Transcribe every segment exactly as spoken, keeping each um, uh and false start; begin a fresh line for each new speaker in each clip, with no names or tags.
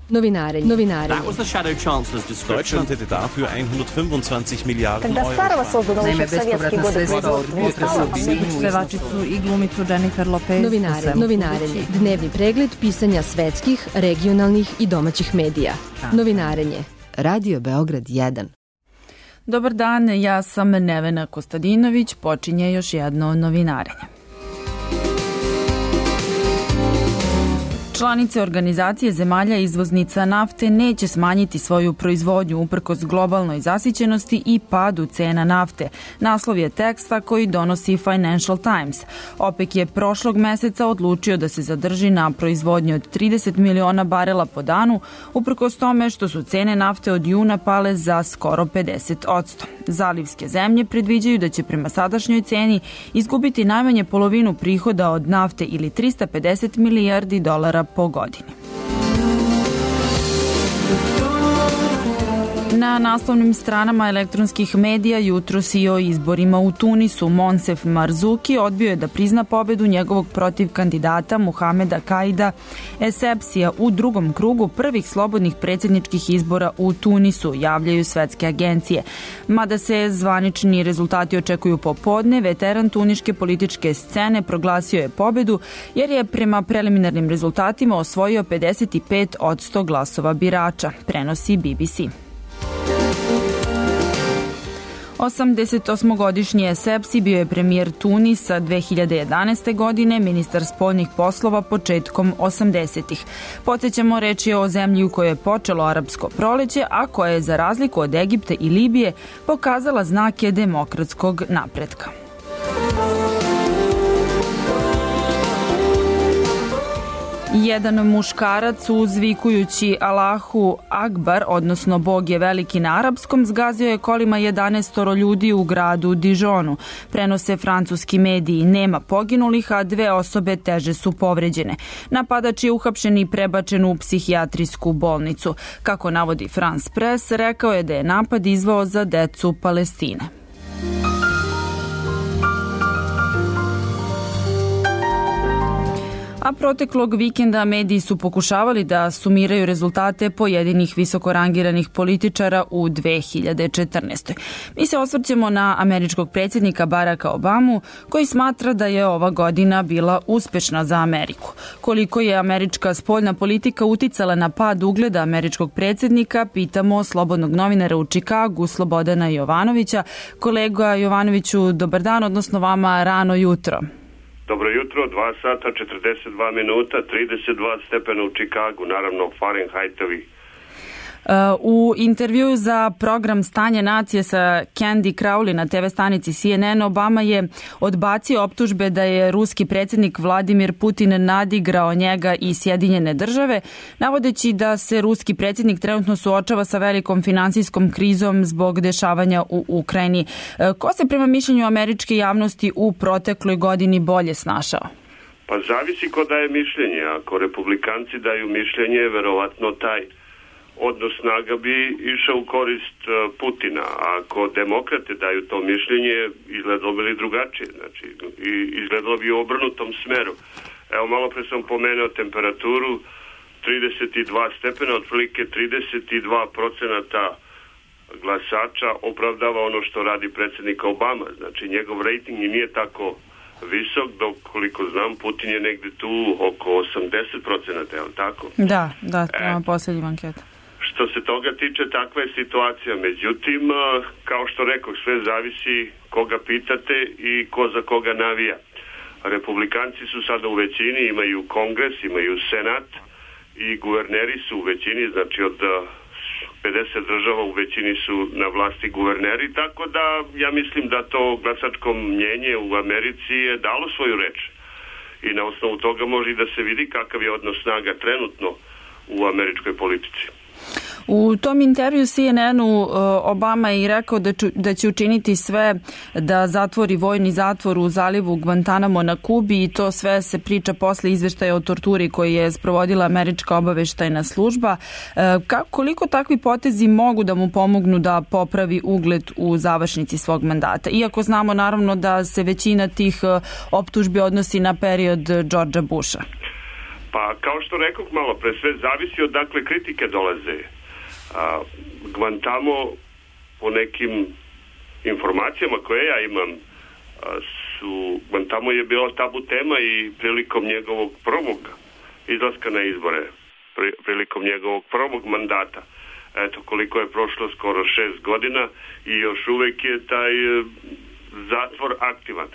Novinarenje. Novinarenje.
That was the Shadow Chancellor's description.
Deutschland hätte dafür hundertfünfundzwanzig Miliarden
Когда
Euro.
старого создано еще в советские годы производства.
Pevačicu i glumicu Jennifer Lopez.
Novinarenje. Novinarenje. Dnevni pregled pisanja svetskih, regionalnih i domaćih medija. Novinarenje. Radio Beograd jedan.
Dobar dan, ja sam Nevena Kostadinović, počinje još jedno novinarenje. Članice Organizacije zemalja izvoznica nafte neće smanjiti svoju proizvodnju uprkos globalnoj zasićenosti i padu cena nafte. Naslov je teksta koji donosi Financial Times. OPEC je prošlog meseca odlučio da se zadrži na proizvodnji od trideset miliona barela po danu, uprkos tome što su cene nafte od juna pale za skoro pedeset posto. Zalivske zemlje predviđaju da će prema sadašnjoj ceni izgubiti najmanje polovinu prihoda od nafte ili trista pedeset milijardi dolara po godini. Na naslovnim stranama elektronskih medija jutros i o izborima u Tunisu Monsef Marzuki odbio je da prizna pobedu njegovog protiv kandidata Muhameda Kaida Essebsija u drugom krugu prvih slobodnih predsjedničkih izbora u Tunisu, javljaju svetske agencije. Mada se zvanični rezultati očekuju popodne, veteran tuniške političke scene proglasio je pobedu jer je prema preliminarnim rezultatima osvojio pedeset pet posto glasova birača, prenosi B B C. osamdesetosmogodišnji Essebsi bio je premijer Tunisa dve hiljade jedanaeste. godine, ministar spoljnih poslova početkom osamdesetih. Podsjećamo, reč je o zemlji u kojoj je počelo arapsko proleće, a koja je za razliku od Egipta i Libije pokazala znake demokratskog napretka. Jedan muškarac uzvikujući Allahu Akbar, odnosno Bog je veliki na arapskom, zgazio je kolima jedanaestoro ljudi u gradu Dijonu. Prenose francuski mediji. Nema poginulih, a dve osobe teže su povređene. Napadač je uhapšen i prebačen u psihijatrijsku bolnicu. Kako navodi France Press, rekao je da je napad izvao za decu Palestine. A proteklog vikenda mediji su pokušavali da sumiraju rezultate pojedinih visokorangiranih političara u dve hiljade četrnaestoj. Mi se osvrćemo na američkog predsjednika Baracka Obamu, koji smatra da je ova godina bila uspešna za Ameriku. Koliko je američka spoljna politika uticala na pad ugleda američkog predsjednika, pitamo slobodnog novinara u Čikagu, Slobodana Jovanovića. Kolega Jovanoviću, dobar dan, odnosno vama rano jutro.
Dobro jutro, dva sata, četrdeset dva minuta, trideset dva stepena u Čikagu, naravno Fahrenheitovi.
U intervjuu za program Stanje nacije sa Candy Crowley na te ve stanici C N N, Obama je odbacio optužbe da je ruski predsjednik Vladimir Putin nadigrao njega i Sjedinjene države, navodeći da se ruski predsjednik trenutno suočava sa velikom finansijskom krizom zbog dešavanja u Ukrajini. Ko se prema mišljenju američke javnosti u protekloj godini bolje snašao?
Pa zavisi ko daje mišljenje. Ako republikanci daju mišljenje, verovatno taj odnos snaga bi išao u korist Putina. A ako demokrate daju to mišljenje, izgledalo bi drugačije. Znači, izgledalo bi u obrnutom smeru. Evo, malo pre sam pomenuo temperaturu, trideset dva stepena, otprilike trideset dva procenata glasača opravdava ono što radi predsjednik Obama. Znači, njegov rejting i nije tako visok, dok koliko znam, Putin je negde tu oko osamdeset procenata, je li tako?
Da, da, prema posljednjim anketa.
Što se toga tiče, takva je situacija. Međutim, kao što rekao, sve zavisi koga pitate i ko za koga navija. Republikanci su sada u većini, imaju kongres, imaju senat i guverneri su u većini, znači od pedeset država u većini su na vlasti guverneri, tako da ja mislim da to glasačko mnjenje u Americi je dalo svoju reč. I na osnovu toga može da se vidi kakav je odnos snaga trenutno u američkoj politici.
U tom intervju C N N-u Obama je i rekao da, ču, da će učiniti sve da zatvori vojni zatvor u zalivu Guantanamo na Kubi, i to sve se priča posle izveštaja o torturi koji je sprovodila američka obaveštajna služba. Ka, koliko takvi potezi mogu da mu pomognu da popravi ugled u završnici svog mandata? Iako znamo naravno da se većina tih optužbi odnosi na period Georgea Busha.
Pa kao što rekao malo pre, sve zavisi od dakle kritike dolaze. A, Guantamo, po nekim informacijama koje ja imam, a, su, Guantamo je bila tabu tema i prilikom njegovog prvog izlaska na izbore, pri, prilikom njegovog prvog mandata. Eto, koliko je prošlo, skoro šest godina i još uvek je taj e, zatvor aktivan.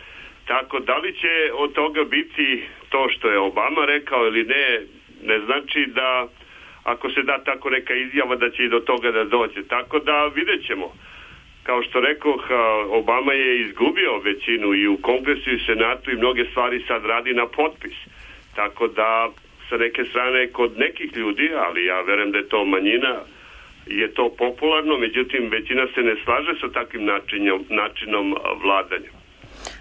Tako, da li će od toga biti to što je Obama rekao ili ne, ne znači da ako se da tako neka izjava da će i do toga da dođe. Tako da vidjet ćemo. Kao što rekoh, Obama je izgubio većinu i u Kongresu i Senatu i mnoge stvari sad radi na potpis. Tako da sa neke strane kod nekih ljudi, ali ja verujem da je to manjina, je to popularno, međutim većina se ne slaže sa takvim načinom, načinom vladanja.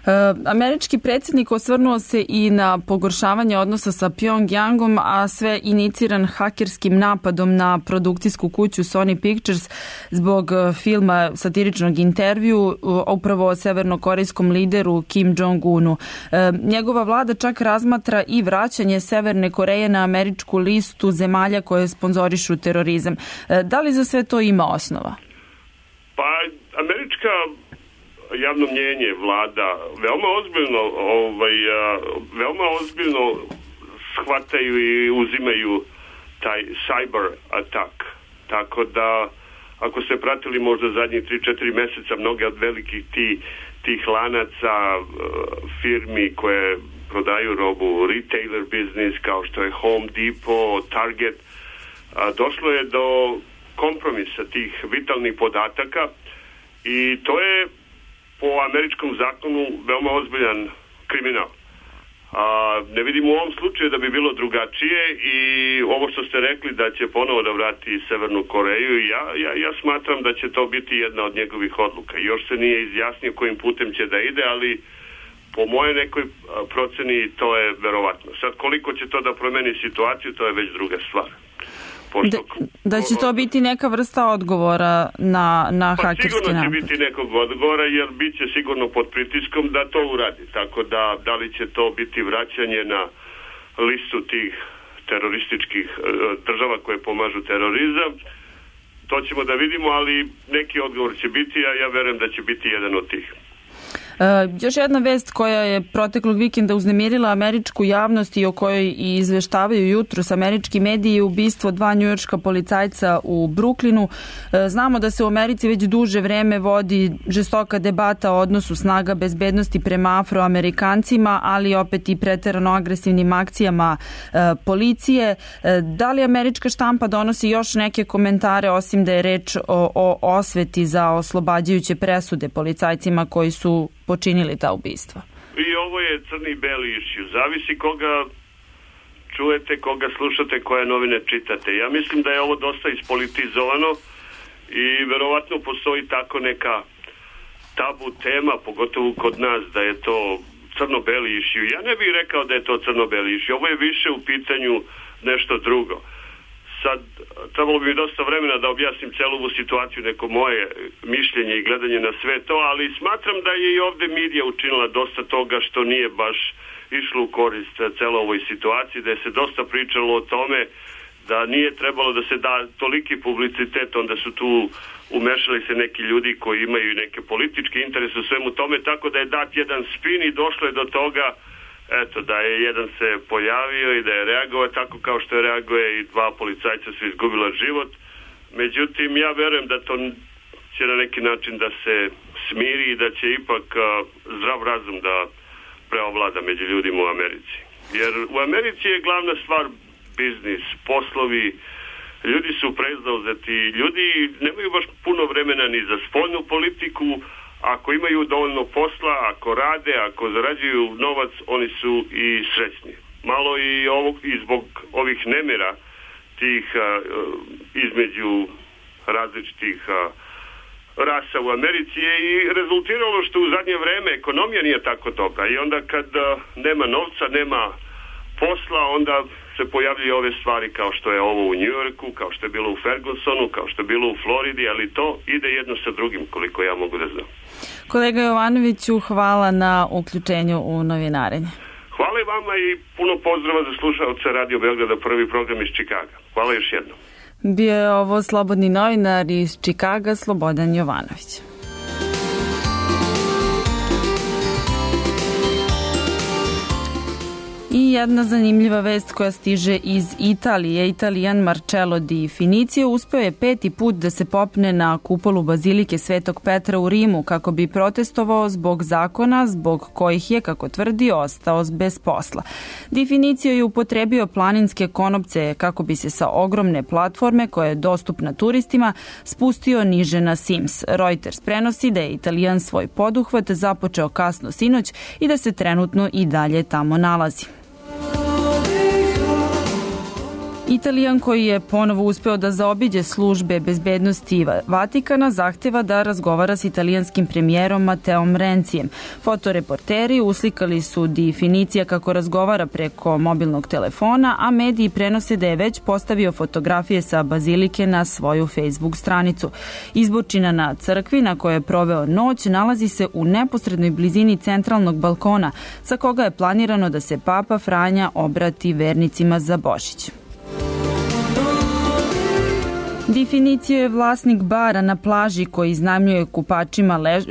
E, američki predsjednik osvrnuo se i na pogoršavanje odnosa sa Pyongyangom, a sve iniciran hakerskim napadom na produkcijsku kuću Sony Pictures zbog filma satiričnog intervju upravo o severnokorejskom lideru Kim Jong-unu. E, njegova vlada čak razmatra i vraćanje Severne Koreje na američku listu zemalja koje sponzorišu terorizam. E, da li za sve to ima osnova?
Pa, američka javno mnjenje, vlada, veoma ozbiljno, ovaj, veoma ozbiljno shvataju i uzimaju taj cyber attack. Tako da, ako ste pratili možda zadnjih tri četiri meseca, mnoge od velikih ti, tih lanaca, firmi koje prodaju robu, retailer business, kao što je Home Depot, Target, došlo je do kompromisa tih vitalnih podataka i to je po američkom zakonu veoma ozbiljan kriminal. A, ne vidim u ovom slučaju da bi bilo drugačije i ovo što ste rekli da će ponovo da vrati Severnu Koreju, ja, ja, ja smatram da će to biti jedna od njegovih odluka. Još se nije izjasnio kojim putem će da ide, ali po moje nekoj proceni to je verovatno. Sad koliko će to da promeni situaciju, to je već druga stvar.
Da, da će to biti neka vrsta odgovora na, na
pa
hakerski napad?
Sigurno će biti nekog odgovora jer bit će sigurno pod pritiskom da to uradi. Tako da, da li će to biti vraćanje na listu tih terorističkih država koje pomažu terorizam, to ćemo da vidimo, ali neki odgovor će biti, a ja verujem da će biti jedan od tih.
E, još jedna vest koja je proteklog vikenda uznemirila američku javnost i o kojoj i izveštavaju jutros američki mediji je ubistvo dva njujorška policajca u Brooklynu. E, znamo da se u Americi već duže vreme vodi žestoka debata o odnosu snaga bezbednosti prema afroamerikancima, ali opet i preterano agresivnim akcijama e, policije. E, da li američka štampa donosi još neke komentare osim da je reč o, o osveti za oslobađajuće presude policajcima koji su počinili ta ubistva?
I ovo je crni i beli issue. Zavisi koga čujete, koga slušate, koje novine čitate. Ja mislim da je ovo dosta ispolitizovano i verovatno postoji tako neka tabu tema, pogotovo kod nas, da je to crno-beli issue. Ja ne bih rekao da je to crno-beli issue. Ovo je više u pitanju nešto drugo. Sad, trebalo bi mi dosta vremena da objasnim celu ovu situaciju, neko moje mišljenje i gledanje na sve to, ali smatram da je i ovde medija učinila dosta toga što nije baš išlo u korist celo ovoj situaciji, da je se dosta pričalo o tome da nije trebalo da se da toliki publicitet, onda su tu umešali se neki ljudi koji imaju neke političke interese u svemu tome, tako da je dat jedan spin i došlo je do toga eto, da je jedan se pojavio i da je reagovao tako kao što je reaguje i dva policajca su izgubila život. Međutim, ja verujem da to će na neki način da se smiri i da će ipak uh, zdrav razum da preovlada među ljudima u Americi. Jer u Americi je glavna stvar biznis, poslovi, ljudi su prezauzeti, ljudi nemaju baš puno vremena ni za spoljnu politiku. Ako imaju dovoljno posla, ako rade, ako zarađuju novac, oni su i srećni. Malo i, ovog, i zbog ovih nemira tih a, između različitih a, rasa u Americi je i rezultiralo što u zadnje vreme ekonomija nije tako dobra. I onda kad a, nema novca, nema posla, onda se pojavljaju ove stvari kao što je ovo u Njujorku, kao što je bilo u Fergusonu, kao što je bilo u Floridi, ali to ide jedno sa drugim, koliko ja mogu da znam.
Kolega Jovanoviću, hvala na uključenju u novinarenje.
Hvala i vama i puno pozdrava za slušaoce Radio Beograda, prvi program iz Čikaga. Hvala još jednom.
Bio je ovo slobodni novinar iz Čikaga, Slobodan Jovanović. I jedna zanimljiva vest koja stiže iz Italije. Italijan Marcello Di Finicio uspeo je peti put da se popne na kupolu Bazilike Svetog Petra u Rimu kako bi protestovao zbog zakona zbog kojih je, kako tvrdi, ostao bez posla. Di Finicio je upotrebio planinske konopce kako bi se sa ogromne platforme koja je dostupna turistima spustio niže na Sims. Reuters prenosi da je Italijan svoj poduhvat započeo kasno sinoć i da se trenutno i dalje tamo nalazi. Italijan koji je ponovo uspeo da zaobiđe službe bezbednosti Vatikana zahteva da razgovara s italijanskim premijerom Mateom Rencijem. Fotoreporteri uslikali su Di Finicija kako razgovara preko mobilnog telefona, a mediji prenose da je već postavio fotografije sa bazilike na svoju Facebook stranicu. Izbočina na crkvi na kojoj je proveo noć nalazi se u neposrednoj blizini centralnog balkona, sa koga je planirano da se Papa Franja obrati vernicima za Božić. Di Finicio je vlasnik bara na plaži koji iznajmljuje kupačima, lež,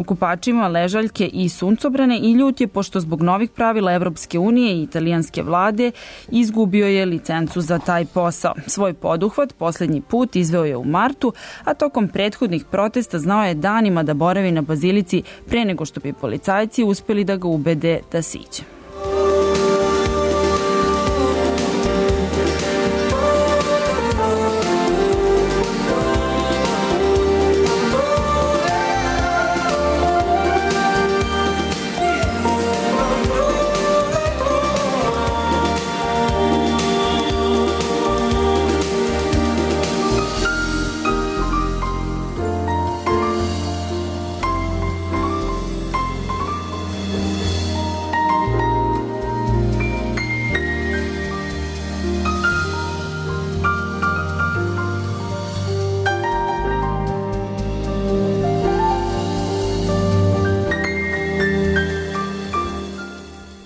kupačima ležaljke i suncobrane i ljut je pošto zbog novih pravila Evropske unije i italijanske vlade izgubio je licencu za taj posao. Svoj poduhvat posljednji put izveo je u martu, a tokom prethodnih protesta znao je danima da boravi na bazilici pre nego što bi policajci uspeli da ga ubede da siđe.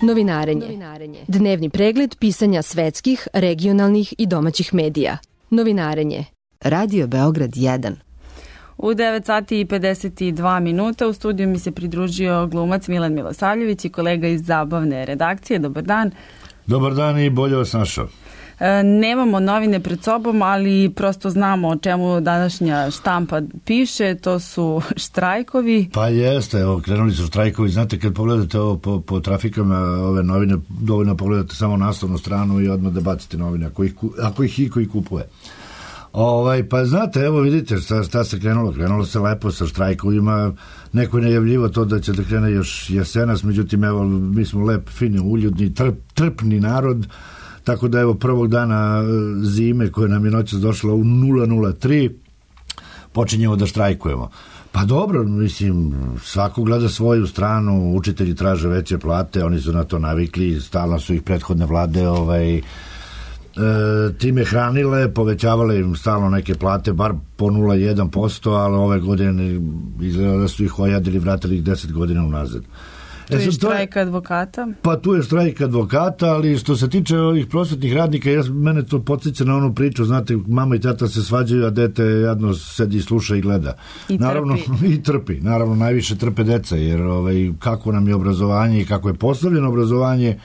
Novinarenje. Dnevni pregled pisanja svetskih, regionalnih i domaćih medija. Novinarenje. Radio Beograd jedan.
U devet sati i pedeset dva minuta u studiju mi se pridružio glumac Milan Milosavljević i kolega iz zabavne redakcije. Dobar dan.
Dobar dan i bolje vas našao.
E, nemamo novine pred sobom, ali prosto znamo o čemu današnja štampa piše, to su štrajkovi.
Pa jeste, evo, krenuli su štrajkovi. Znate, kad pogledate ovo po, po trafikama, ove novine, dovoljno pogledate samo naslovnu stranu i odmah da bacite novine, ako ih, ako ih i koji kupuje. Ovaj, pa znate, evo vidite šta, šta se krenulo. Krenulo se lepo sa štrajkovima. Neko je najavljivo to da će da krene još jesenas, međutim, evo, mi smo lep, fini, uljudni, trp, trpni narod. Tako da evo prvog dana zime koja nam je noćas došla u nula nula tri počinjemo da štrajkujemo. Pa dobro, mislim, svako gleda svoju stranu, učitelji traže veće plate, oni su na to navikli, stalno su ih prethodne vlade ovaj, e, time hranile, povećavale im stalno neke plate, bar po nula zarez jedan posto, ali ove godine izgleda da su ih ojadili, vratili ih deset godina unazad.
Tu je štrajk advokata?
Pa tu je štrajk advokata, ali što se tiče ovih prosvetnih radnika, ja, mene to podsjeća na onu priču, znate, mama i tata se svađaju, a dete jedno sedi, sluša i gleda.
I
naravno,
trpi.
I trpi. Naravno, najviše trpe deca, jer ovaj, kako nam je obrazovanje i kako je postavljeno obrazovanje,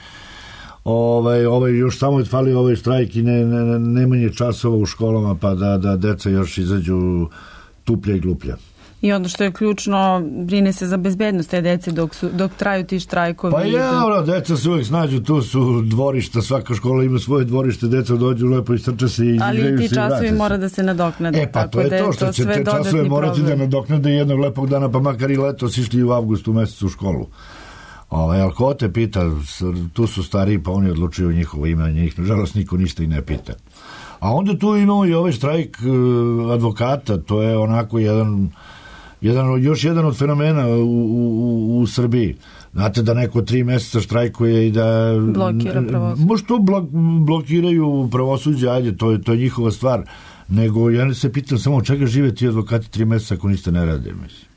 ovaj, ovaj, još samo je fali ovaj štrajk i ne, ne, nemanje časova u školama, pa da, da deca još izađu tuplja i gluplja.
I ono što je ključno, brine se za bezbednost te dece dok, su, dok traju ti štrajkovi.
Pa ja, ono, deca se uvijek snađu, tu su dvorišta, svaka škola ima svoje dvorište, deca dođu lepo i strče se i
ali
igraju se i
ti časovi mora da se nadoknade.
E pa to je to, što će te časove morati da nadoknade jednog lepog dana, pa makar i letos išli u avgustu mesecu u školu. Ovaj, ali ko te pita, tu su stariji, pa oni odlučuju njihovo ime, njih, nažalost, niko ništa i ne pita. A onda tu imamo i ovaj štrajk advokata, to je onako jedan... Jedan, još jedan od fenomena u, u, u Srbiji. Znate da neko tri meseca štrajkuje i da...
Blokira pravosuđe.
Možda to blok, blokiraju pravosuđe, ajde, to je, to je njihova stvar. Nego ja se pitam samo od čega žive ti advokati tri meseca ako ništa ne rade, mislim.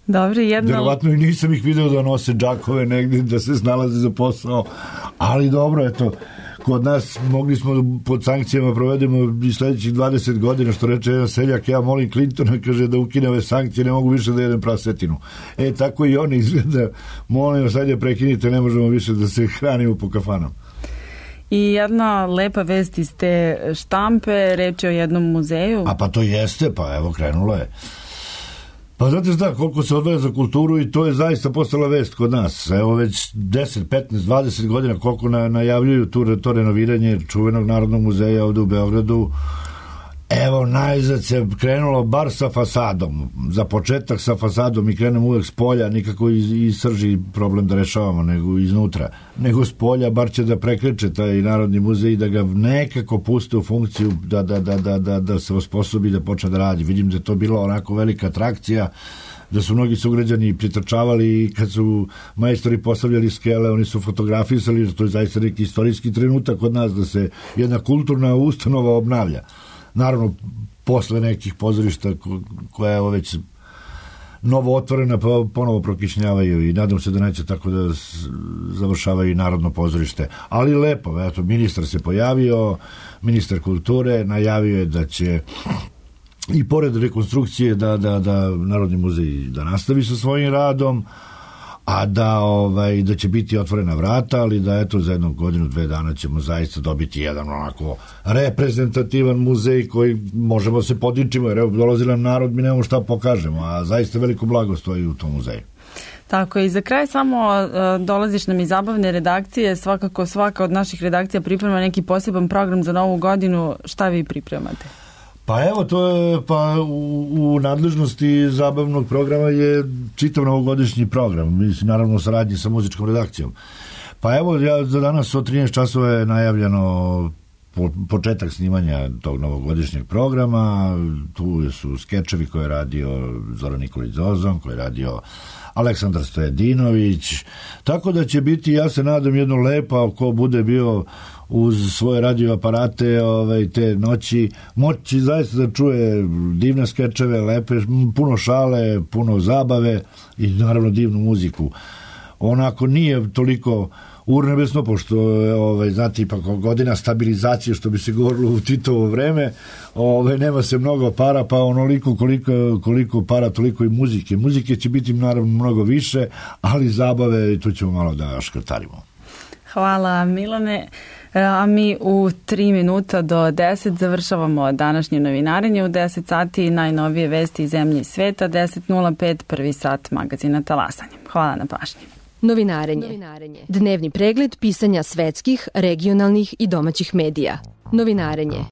Dobro, jedno...
Verovatno i nisam ih video da nose džakove negdje, da se snalaze za posao, ali dobro, eto, kod nas mogli smo pod sankcijama provedemo i sledećih dvadeset godina, što reče jedan seljak, ja molim Clintona, kaže da ukine ove sankcije, ne mogu više da jedem prasetinu. E, tako i oni izgleda, molim, sad je prekinite, ne možemo više da se hranimo po kafanama.
I jedna lepa vest iz te štampe, reč je o jednom muzeju.
A pa to jeste, pa evo krenulo je. Pa znate šta, koliko se odvaja za kulturu i to je zaista postala vest kod nas. Evo već deset, petnaest, dvadeset godina koliko na, najavljuju tu, to renoviranje čuvenog Narodnog muzeja ovde u Beogradu. Evo, najzad se krenulo bar sa fasadom. Za početak sa fasadom i krenemo uvek s polja, nikako iz, iz srži problem da rešavamo, nego iznutra. Nego s polja, bar će da prekreće taj Narodni muzej i da ga nekako puste u funkciju da, da, da, da, da, da se osposobi da počne da radi. Vidim da je to bila onako velika atrakcija, da su mnogi sugrađani pritrčavali i kad su majstori postavljali skele, oni su fotografisali, to je zaista neki istorijski trenutak kod nas da se jedna kulturna ustanova obnavlja. Naravno, posle nekih pozorišta koja je već novo otvorena, pa ponovo prokišnjavaju i nadam se da neće tako da završavaju i Narodno pozorište. Ali lepo, eto, ministar se pojavio, ministar kulture, najavio je da će i pored rekonstrukcije da, da, da Narodni muzej da nastavi sa svojim radom, a da, ovaj, da će biti otvorena vrata, ali da eto za jednu godinu, dve dana ćemo zaista dobiti jedan onako reprezentativan muzej koji možemo se podičimo, jer evo dolazi nam narod, mi nemamo šta pokažemo, a zaista veliko blago stoji u tom muzeju.
Tako i za kraj samo uh, dolaziš nam iz zabavne redakcije, svakako svaka od naših redakcija priprema neki poseban program za novu godinu, šta vi pripremate?
Pa evo, to je, pa u, u nadležnosti zabavnog programa je čitav novogodišnji program, mislim, naravno u saradnji sa muzičkom redakcijom. Pa evo, ja, za danas od trinaest časova je najavljeno po, početak snimanja tog novogodišnjeg programa, tu su skečevi koje je radio Zoran Nikolić Zozon, koje je radio Aleksandar Stojedinović, tako da će biti, ja se nadam, jedno lepa, ko bude bio uz svoje radio aparate ovaj, te noći, moći zaista da čuje divne skečeve, lepe, puno šale, puno zabave i naravno divnu muziku. Onako nije toliko urnebesno, pošto ovaj, znate, ipak godina stabilizacije, što bi se govorilo u Titovo vreme, ovaj, nema se mnogo para, pa onoliko koliko, koliko para, toliko i muzike. Muzike će biti naravno mnogo više, ali zabave, tu ćemo malo da škrtarimo.
Hvala, Milane. A mi u tri minuta do deset završavamo današnje novinarenje. U deset sati najnovije vesti iz zemlje i sveta, deset nula pet prvi sat magazina Talasanje. Hvala na pažnji.
Novinarenje. Novinarenje. Dnevni pregled pisanja svetskih, regionalnih i domaćih medija. Novinarenje.